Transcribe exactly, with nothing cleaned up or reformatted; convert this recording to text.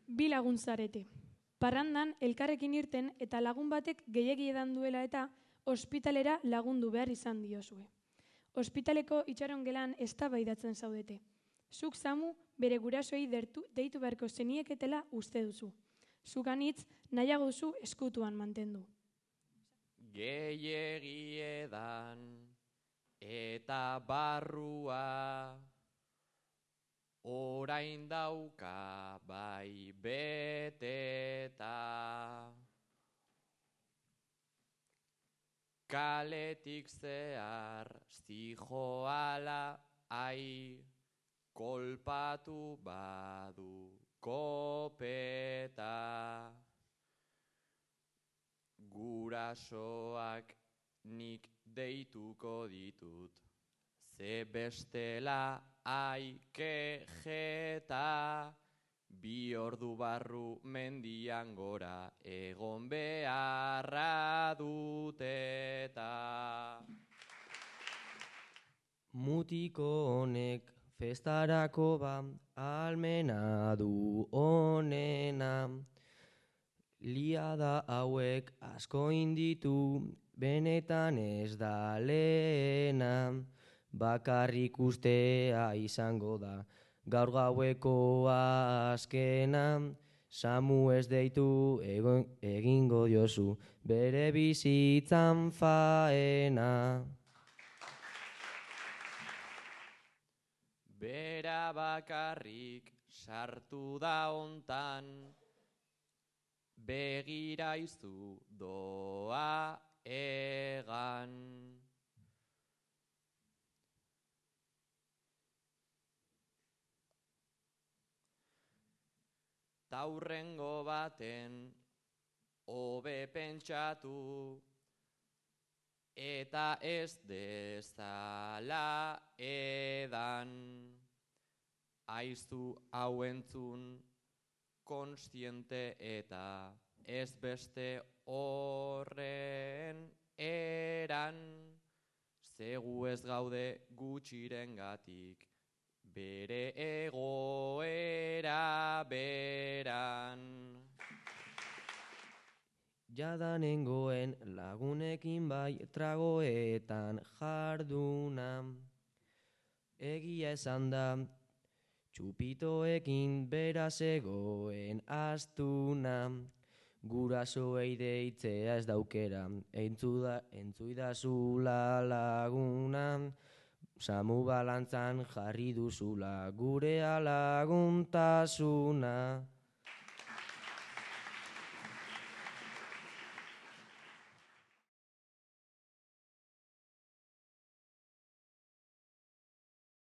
Bi lagun zarete. Parrandan elkarrekin irten eta lagun batek gehiegi edan duela eta ospitalera lagundu behar izan diozue. Ospitaleko itxaron gelan eztabaidatzen zaudete. Zuk Samu bere gurasoei deitu beharko zenieketela uste duzu. Zuk anitz nahiago duzu eskutuan mantendu. Gehiegi edan eta barrua orain dauka bai beteta. Kaletik zehar zijoala ai kolpatu badu kopeta. Gurasoak nik deituko ditut, ze bestela ai kejeta. Bi ordu barru mendian gora egon beharra duteta. Mutiko honek festarako ba, almena du onena. Liada hauek asko inditu, benetan ez da lehena. Bakarrik ustea izango da, gaur gaueko azkena. Samu ez deitu egingo diozu, bere bizitzan faena. Bera bakarrik sartu da hontan, begira izu doa egan. Taurrengo baten hobe pentsatu, eta ez dezala edan. Aizu hau entzun konstiente eta ez beste horren eran. Zegu ez gaude gutxirengatik bere egoera beran. Jadanengoen lagunekin bai tragoetan jarduna. Egia esan da, txupitoekin bera zegoen astuna. Gurasoei deitzea ez daukera, entzuidazula laguna. Samu balantzan jarri duzula gurea laguntasuna.